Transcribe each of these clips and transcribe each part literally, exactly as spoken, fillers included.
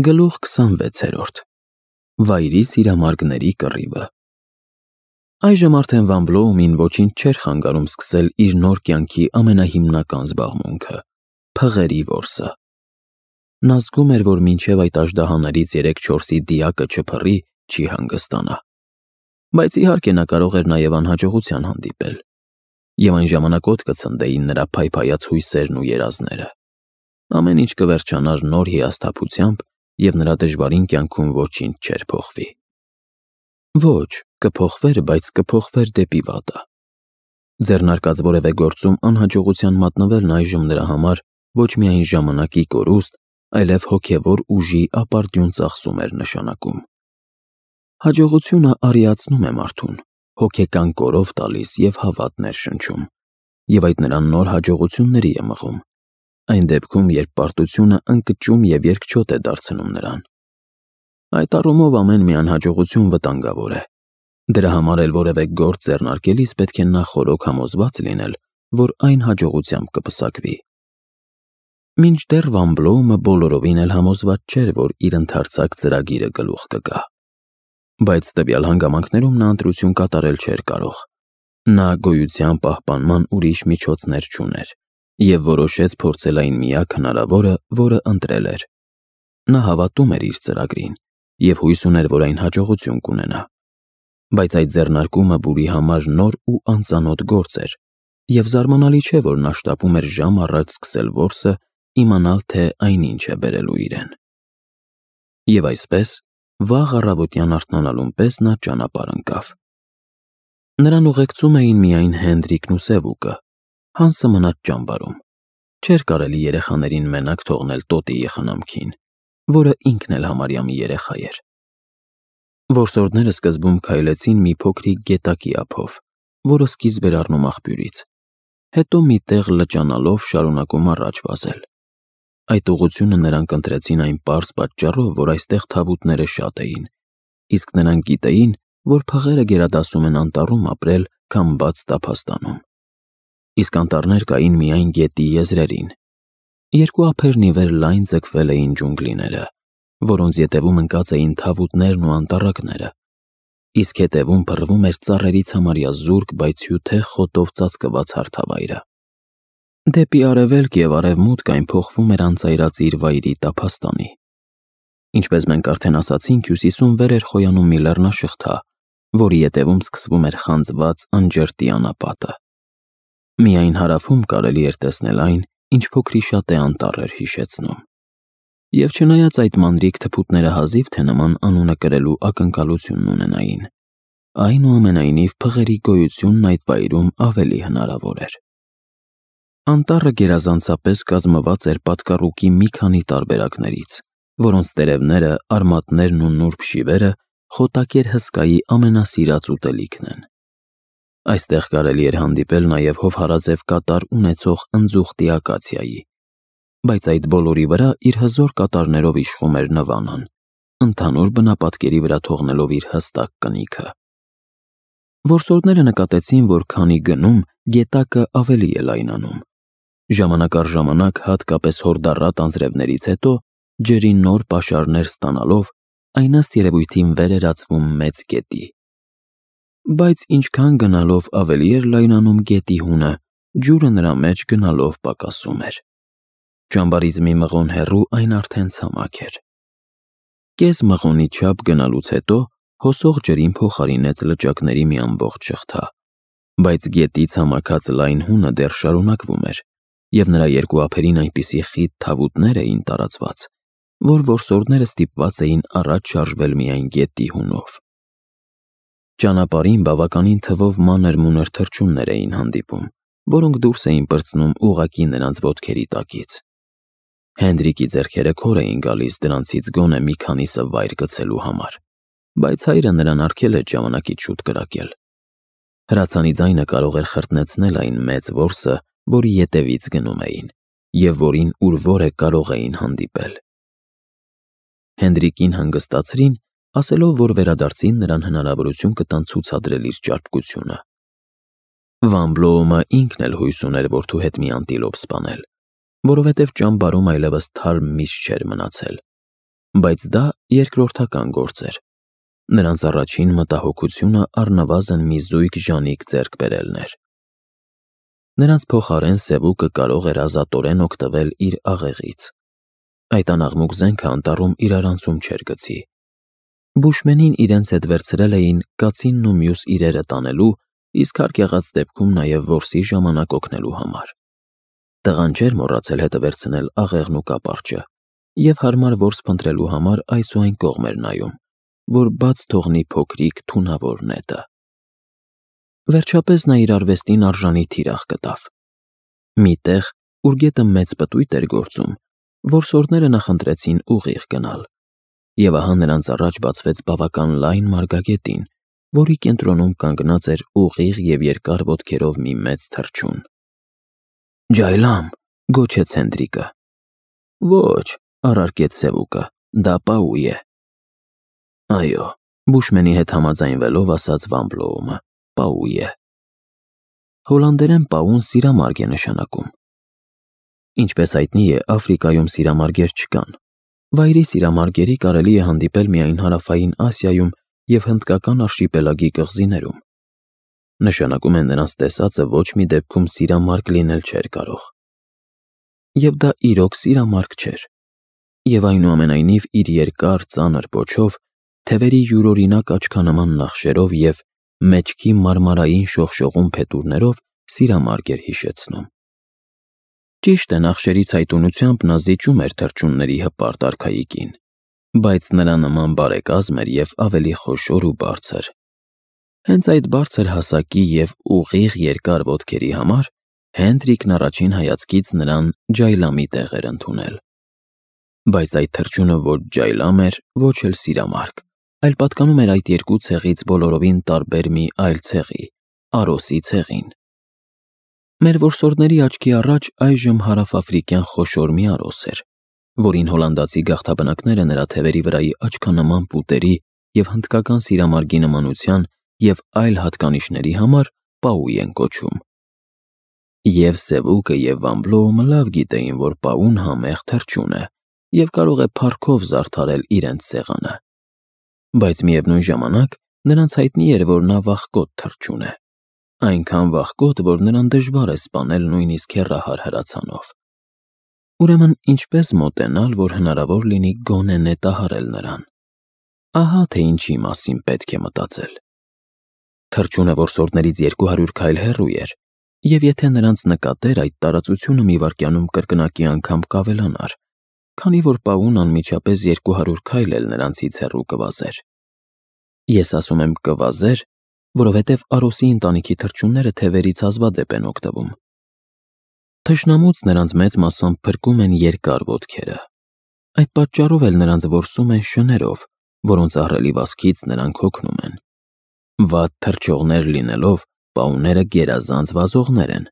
Գլուխ քսանվեցերորդ Վայրի սիրամարգների կռիվը Այժմ արդեն Վան Բլոումին ոչինչ չէր խանգարում սկսել իր նոր կյանքի ամենահիմնական զբաղմունքը՝ փղերի որսը։ Նա զգում էր, որ մինչև այդ աժդահաներից երեք-չորսի դիակը չփռի, չի հանգստանա։ Բայց իհարկե նա կարող էր նաև անհաջողության հանդիպել, և այն ժամանակ օդ կցնդեին նրա փայփայած հույսերն ու երազները։ Ամեն ինչ կվերջանար նոր հիասթափությամբ, և նրա դժվարին կյանքում ոչինչ չէր փոխվի։ Ոչ, կփոխվեր, բայց կփոխվեր դեպի վատը։ Ձեռնարկած որևէ գործում անհաջողության մատնվելն այժմ նրա համար ոչ միայն ժամանակի կորուստ, այլև հոգևոր ուժի ապարդյուն ծախսում էր նշանակում։ Հաջողությունը արիացնում է մարդուն, հոգեկան կորով տալիս և հավատ ներշնչում, և այդ նրան նոր հաջողությունների է մղում, այն դեպքում, երբ պարտությունը ընկճում և երկչոտ է դարձնում նրան։ Այդ առումով ամեն մի անհաջողություն վտանգավոր է։ Դրա համար էլ որևէ գործ ձեռնարկելիս պետք է նախօրոք համոզված լինել, որ այն հաջողությամբ կպսակվի։ Մինչդեռ Վան Բլոումը բոլորովին էլ համոզված չէր, որ իր ընդարձակ ծրագիրը գլուխ կգա։ Բայց տվյալ հանգամանքներում նա ընտրություն կատարել չէր կարող։ Նա գոյության պահպանման ուրիշ միջոցներ չուներ և որոշեց փորձել այն միակ հնարավորը, որը ընտրել էր։ Նա հավատում էր իր ծրագրին և հույս ուներ, որ այն հաջողություն կունենա։ Բայց այդ ձեռնարկումը Բուրի համար նոր ու անծանոթ գործ էր, և զարմանալի չէ, որ նա շտապում էր ժամ առաջ սկսել որսը, իմանալ, թե այն ինչ է բերելու իրեն։ Եվ այսպես, վաղ առավոտյան արթնանալուն պես նա ճանապարհ ընկավ։ Նրան ուղեկցում էին միայն Հենդրիկն ու Սևուկը, Հանսը մնաց ճամբարում։ Չէր կարելի երեխաներին մենակ թողնել տոտիի խնամքին, որը ինքն էլ համարյա մի երեխա էր։ Որսորդները սկզբում քայլեցին մի փոքրիկ գետակի ափով, որը սկիզբ էր առնում աղբյուրից, հետո մի տեղ լճանալով շարունակում առաջ վազել։ Այդ ուղղությունը նրանք ընտրեցին այն պարզ պատճառով, որ այստեղ թավուտները շատ էին, իսկ նրանք գիտեին, որ փղերը գերադասում են անտառում ապրել, քան բաց տափաստանում։ Իսկ անտառներ կային միայն գետի եզրերին։ Երկու ափերն ի վեր լայն ձգվել էին ջունգլիները, որոնց ետևում ընկած էին թավուտներն ու անտառակները, իսկ հետևում փռվում էր ծառերից համարյա զուրկ, բայց հյութեղ խոտով ծածկված հարթավայրը։ Դեպի արևելք և արևմուտք այն փոխվում էր անծայրածիր վայրի տափաստանի։ Ինչպես մենք արդեն ասացինք, հյուսիսում վեր էր խոյանում մի լեռնաշղթա, որի ետևում սկսվում էր խանձված անջրտի անապատը։ Միայն հարավում կարելի էր տեսնել այն, ինչ փոքրիշատ է անտառ էր հիշեցնում։ Եվ չնայած այդ մանրիկ թփուտները հազիվ թե նման անունը կրելու ակնկալությունն ունենային, այնուամենայնիվ փղերի գոյությունն այդ վայրում ավելի հնարավոր էր։ Անտառը գերազանցապես կազմված էր պատկառուկի մի քանի տարբերակներից, որոնց տերևները, արմատներն ու նուրբ շիվերը խոտակեր հսկայի ամենասիրած ուտելիքն են։ Այստեղ կարելի էր հանդիպել նաև հովհարաձև կատար ունեցող ընձուղտի ակացիայի, բայց այդ բոլորի վրա իր հզոր կատարներով իշխում էր նվանան, ընդհանուր բնապատկերի վրա թողնելով իր հստակ կնիքը։ Որսորդները նկատեցին, որ քանի գնում, գետակը ավելի է լայնանում։ Ժամանակ առ ժամանակ, հատկապես հորդառատ անձրևներից հետո, ջրի նոր պաշարներ ստանալով, այն ըստ երևույթին վեր էր ածվում մեծ գետի։ Բայց ինչքան գնալով ավելի էր լայնանում գետի հունը, ջուրը նրա մեջ գնալով պակասում էր։ Ճամբարից մի մղոն հեռու այն արդեն ցամաք էր։ Կես մղոնի չափ գնալուց հետո հոսող ջրին փոխարինեց լճակների մի ամբողջ շղթա, բայց գետի ցամաքած լայն հունը դեռ շարունակվում էր, և նրա երկու ափերին այնպիսի խիտ թավուտներ էին տարածված, որ որսորդները ստիպված էին առաջ շարժվել միայն գետի հունով։ Ճանապարհին բավականին թվով մանր-մունր թռչուններ էին հանդիպում, որոնք դուրս էին պրծնում ուղղակի նրանց ոտքերի տակից։ Հենդրիկի ձեռքերը քոր էին գալիս դրանցից գոնե մի քանիսը վայր գցելու համար, բայց հայրը նրան արգել էր ժամանակից շուտ կրակել։ Հրացանի ձայնը կարող էր խրտնեցնել այն մեծ որսը, որի ետևից գնում էին, և որին ուր որ է կարող էին հանդիպել։ Հենդրիկին հանգստացրին, ասելով, որ վերադարձին նրան հնարավորություն կտան ցուցադրել իր ճարպկությունը։ Վան Բլոումը ինքն էլ հույս ուներ որդու հետ մի անտիլոպ սպանել, որովհետև ճամբարում այլևս թարմ միշ չէր մնացել։ բայց դա երկրորդական գործ էր։ Նրանց առաջին մտահոգությունը առնվազն մի զույգ ժանիք ձեռք բերելն էր։ Նրանց փոխարեն Սևուկը կարող էր ազատորեն օգտվել իր աղեղից։ Այդ անաղմուկ զենքը անտառում իրարանցում չէր գցի։ Բուշմենին իրենց հետ վերցրել էին կացինն ու մյուս իրերը տանելու, իսկ հարկ եղած դեպքում նաև որսի ժամանակ օգնելու համար։ Տղան չէր մոռացել հետը վերցնել աղեղն ու կապարճը, և հարմար որս փնտրելու համար այս ու այն կողմ էր նայում, որ բաց թողնի փոքրիկ թունավոր նետը։ Վերջապես նա իր արվեստին արժանի թիրախ գտավ։ Մի տեղ, ուր գետը մեծ պտույտ էր գործում, որսորդները նախընտրեցին ուղիղ գնալ, և ահա նրանց առաջ բացվեց բավական լայն մարգագետին, որի կենտրոնում կանգնած էր ուղիղ և երկար ոտքերով մի մեծ թռչուն։ «Ջայլամ», գոչեց Հենդրիկը։ «Ոչ», առարկեց Սևուկը, «դա Պաու է»։ «Այո», Բուշմենի հետ համաձայնվելով ասաց Վան Բլոումը, «Պաու է»։ Հոլանդերեն Պաուն սիրամարգ է նշանակում։ Ինչպես հայտնի է, Աֆրիկայում սիրամարգեր չկան։ Վայրի սիրամարգերի կարելի է հանդիպել միայն Հարավային Ասիայում և Հնդկական արշիպելագի կղզիներում։ Նշանակում է նրանց տեսածը ոչ մի դեպքում սիրամարգ լինել չէր կարող։ Եվ դա իրոք սիրամարգ չէր։ Եվ այնուամենայնիվ իր երկար ծանր պոչով, թևերի յուրօրինակ աչքանման նախշերով և մեջքի մարմարային շողշողուն փետուրներով սիրամարգ էր հիշեցնում։ Ճիշտ է, նախշերի ցայտունությամբ նա զիջում էր թռչունների հպարտ արքայիկին, բայց նրա նման բարեկազմ էր և ավելի խոշոր ու բարձր։ Հենց այդ բարձր հասակի և ուղիղ երկար ոտքերի համար Հենդրիկն առաջին հայացքից նրան ջայլամի տեղ էր ընդունել։ Բայց այդ թռչունը ոչ ջայլամ էր, ոչ էլ սիրամարգ, այլ պատկանում էր այդ երկու ցեղից բոլորովին տարբեր մի այլ ցեղի՝ արոսի ցեղին։ Մեր որսորդների աչքի առաջ այժմ հարավաֆրիկյան խոշոր մի արոս էր, որին հոլանդացի գաղթաբնակները նրա թևերի վրայի աչքանման պուտերի և հնդկական սիրամարգի նմանության և այլ հատկանիշների համար Պաու են կոչում։ Եվ Սևուկը և Վան Բլոումը լավ գիտեին, որ Պաուն համեղ թռչուն է և կարող է փառքով զարդարել իրենց սեղանը։ Բայց միևնույն ժամանակ նրանց հայտնի էր, որ նա վախկոտ թռչուն է, այնքան վախկոտ, որ նրան դժվար է սպանել նույնիսկ հեռահար հրացանով։ Ուրեմն ինչպես մոտենալ, որ հնարավոր լինի գոնե նետահարել նրան։ Ահա թե ինչի մասին պետք է մտածել։ Թռչունը որսորդներից երկու հարյուր քայլ հեռու էր, և եթե նրանց նկատեր, այդ տարածությունը մի վայրկյանում կրկնակի անգամ կավելանար, քանի որ Պաուն անմիջապես երկու հարյուր քայլ էլ նրանցից հեռու կվազեր։ Ես ասում եմ կվազեր, որովհետև արոսի ընտանիքի թռչունները թևերից հազվադեպ են օգտվում։ Թշնամուց նրանց մեծ մասամբ փրկում են երկար ոտքերը։ Այդ պատճառով էլ նրանց որսում են շներով, որոնց ահռելի վազքից նրանք հոգնում են։ Վատ թռչողներ լինելով, պաուները գերազանց վազողներ են։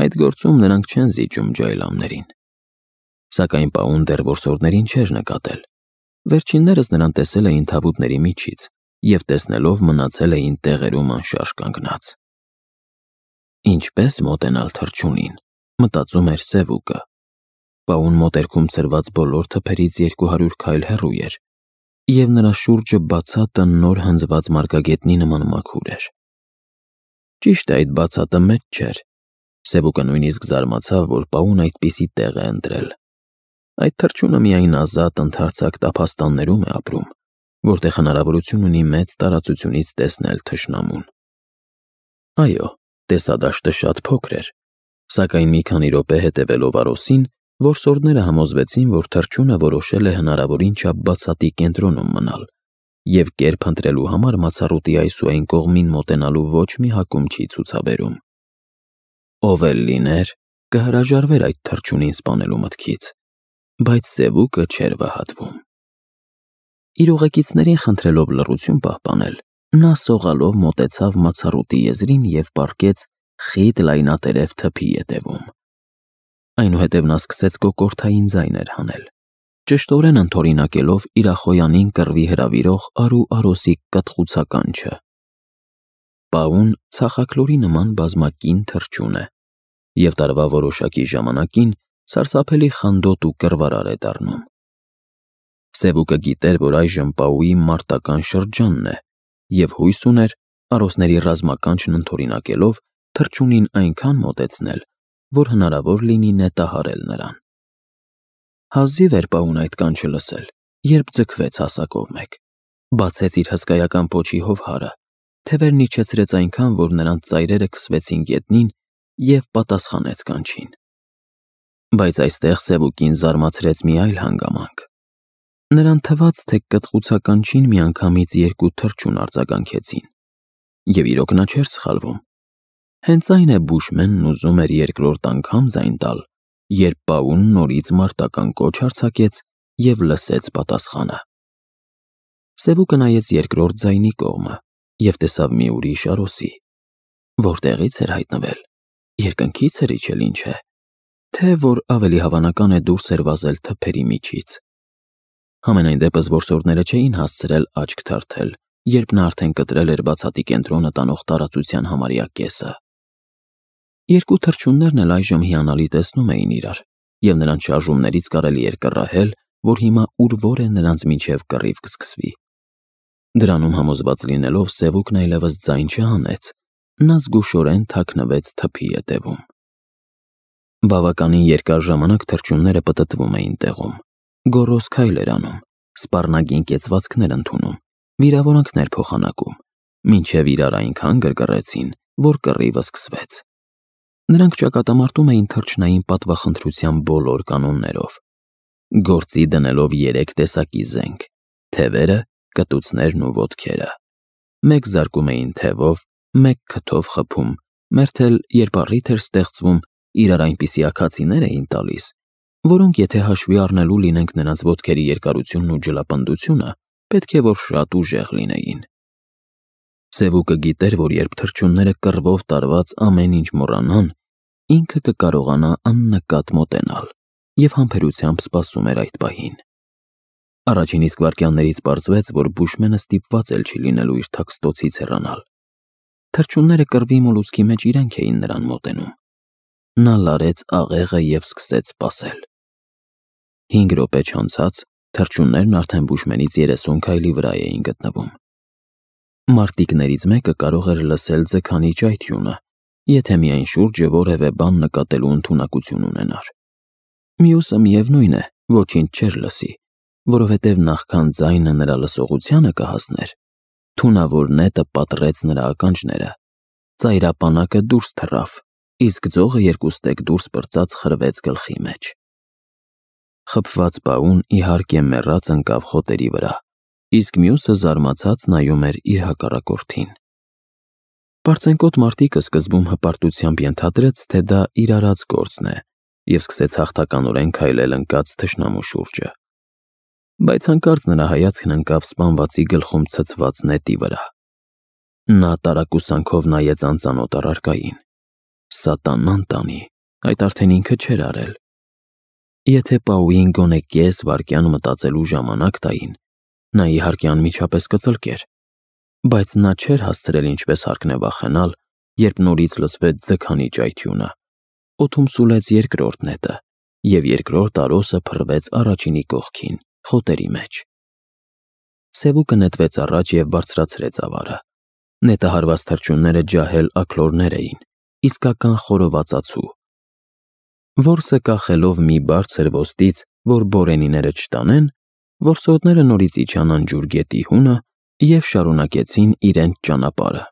Այդ գործում նրանք չեն զիջում ջայլամներին։ Սակայն Պաուն դեռ որսորդներին չէր նկատել։ Վերջիններս նրան տեսել էին թավուտների միջից և տեսնելով մնացել էին տեղերում անշարժ կանգնած։ Ինչպես մոտենալ թռչունին, մտածում էր Սևուկը։ Պաուն մոտերքում ցրված բոլոր թփերից երկու հարյուր քայլ հեռու էր, և նրա շուրջը բացատը նոր հնձված մարգագետնի նման մաքուր էր։ Ճիշտ է, այդ բացատը մեծ չէր։ Սևուկը նույնիսկ զարմացավ, որ Պաուն այդպիսի տեղ է ընտրել։ Այդ թռչունը միայն ազատ ընդարձակ տափաստաններում է ապրում, որտեղ հնարավորություն ունի մեծ տարածությունից տեսնել թշնամուն։ Այո, տեսադաշտը շատ փոքր էր, սակայն մի քանի րոպե հետևելով արոսին, որսորդները համոզվեցին, որ թռչունը որոշել է հնարավորին չափ բացատի կենտրոնում մնալ, և կերպ ընտրելու համար մացառուտի այս ու այն կողմին մոտենալու ոչ մի հակում չի ցուցաբերում։ Ով էլ լիներ, կհրաժարվեր այդ թռչունին սպանելու մտքից, բայց Սևուկը չէր վհատվում։ Իր ուղեկիցներին խնդրելով լռություն պահպանել, նա սողալով մոտեցավ մացառուտի եզրին և պառկեց խիտ լայնատերև թփի ետևում։ Այնուհետև նա սկսեց կոկորդային ձայներ հանել, ճշտորեն ընդօրինակելով իր ախոյանին կռվի հրավիրող արու արոսի կտղուցականչը։ Պաուն ցախաքլորի նման բազմակին թռչուն է, և տարվա որոշակի ժամանակին սարսափելի խանդոտ ու կռվարար է դառնում։ Սևուկը գիտեր, որ այժմ Պաուի մարտական շրջանն է, և հույս ուներ արոսների ռազմականչն ընդօրինակելով թռչունին այնքան մոտեցնել, որ հնարավոր լինի նետահարել նրան։ Հազիվ էր Պաուն այդ կանչը լսել, երբ ձգվեց հասակով մեկ, բացեց իր հսկայական պոչի հովհարը, թևերն իջեցրեց այնքան, որ նրանց ծայրերը քսվեցին գետնին և պատասխանեց կանչին։ Բայց այստեղ Սևուկին զարմացրեց մի այլ հանգամանք։ Նրան թվաց, թե կտղուցականչին միանգամից երկու թռչուն արձագանքեցին, և իրոք նա չէր սխալվում։ Հենց այն է բուշմենն ուզում էր երկրորդ անգամ ձայն տալ, երբ Պաուն նորից մարտական կոչ արձակեց և լսեց պատասխանը։ Սևուկը նայեց երկրորդ ձայնի կողմը և տեսավ մի ուրիշ արոսի։ Որտեղից էր հայտնվել, երկնքից էր իջել, ինչ է, թե որ ավելի հավանական է դուրս էր վազել թփերի միջից։ Համենայն դեպս որսորդները չէին հասցրել աչք թարթել, երբ նա արդեն կտրել էր բացատի կենտրոնը տանող տարածության համարյա կեսը։ Երկու թռչուններն էլ այժմ հիանալի տեսնում էին իրար, և նրանց շարժումներից կարելի էր կռահել, որ հիմա ուր-որ է նրանց միջև կռիվ կսկսվի։ Դրանում համոզված լինելով, Սևուկն այլևս ձայն չհանեց, նա զգուշորեն թաքնվեց թփի ետևում։ Բավականին երկար ժամանակ թռչունները պտտվում էին տեղում, գոռոզ քայլեր անում, սպառնագին կեցվածքներ ընդունում, վիրավորանքներ փոխանակում, մինչև իրար այնքան գրգռեցին, որ կռիվը սկսվեց։ Նրանք ճակատամարտում էին թռչնային պատվախնդրության բոլոր կանոններով, գործի դնելով երեք տեսակի զենք՝ թևերը, կտուցներն ու ոտքերը։ Մեկ զարկում էին թևով, մեկ քթով խփում, մերթ էլ երբ առիթ էր ստեղծվում, իրար այնպիսի աքացիներ էին տալիս, որոնք եթե հաշվի առնելու լինենք նրանց ոտքերի երկարությունն ու ջլապնդությունը, պետք է որ շատ ուժեղ լինեին։ Սևուկը գիտեր, որ երբ թռչունները կռվով տարված ամեն ինչ մոռանան, ինքը կկարողանա աննկատ մոտենալ և համբերությամբ սպասում էր այդ պահին։ Առաջին իսկ վայրկյաններից պարզվեց, որ բուշմենը ստիպված էլ չի լինելու իր թաքստոցից հեռանալ։ Թռչունները կռվի մոլուցքի մեջ իրենք էին նրան մոտենում։ Նա լարեց աղեղը և սկսեց սպասել։ Հինգ րոպե չանցած թռչուններն արդեն բուշմենից երեսուն քայլի վրա էին գտնվում։ Մարտիկներից մեկը կարող էր լսել ձգանի ճայթյունը, եթե միայն շուրջը որևէ բան նկատելու ընդունակություն ունենար։ Մյուսը, միևնույն է, ոչինչ չէր լսի, որովհետև նախքան ձայնը նրա լսողությանը կհասներ, թունավոր նետը պատռեց նրա ականջները, ծայրապանակը դուրս թռավ, իսկ ձողը երկուստեք դուրս պրծած խրվեց գլխի մեջ։ Խփված Պաուն իհարկե մեռած ընկավ խոտերի վրա, իսկ մյուսը զարմացած նայում էր իր հակառակորդին։ Պարծենկոտ մարտիկը սկզբում հպարտությամբ ենթադրեց, թե դա իր արած գործն է, և սկսեց հաղթականորեն քայլել ընկած թշնամու շուրջը։ Բայց հանկարծ նրա հայացքն ընկավ սպանվածի գլխում ցցված նետի վրա։ Նա տարակուսանքով նայեց անծանոթ առարկային։ Սատանան տանի, այդ արդեն ինքը չէր արել։ Եթե Պաուին գոնե կես վայրկյան մտածելու ժամանակ տային, նա իհարկե անմիջապես կծլկեր, բայց նա չէր հասցրել ինչպես հարկն է վախենալ, երբ նորից լսվեց ձգանի ճայթյունը, օդում սուլեց երկրորդ նետը, և երկրորդ արոսը փռվեց առաջինի կողքին, խոտերի մեջ։ Սևուկը նետվեց առաջ և բարձրացրեց ավարը։ Նետահարված թռչունները ջահել աքլորներ էին, իսկական խորովածացու։ Որսը կախելով մի բարձր ոստից, որ բորենիները չտանեն, որսորդները նորից իջան անջուր գետի հունը և շարունակեցին իրենց ճանապարհը։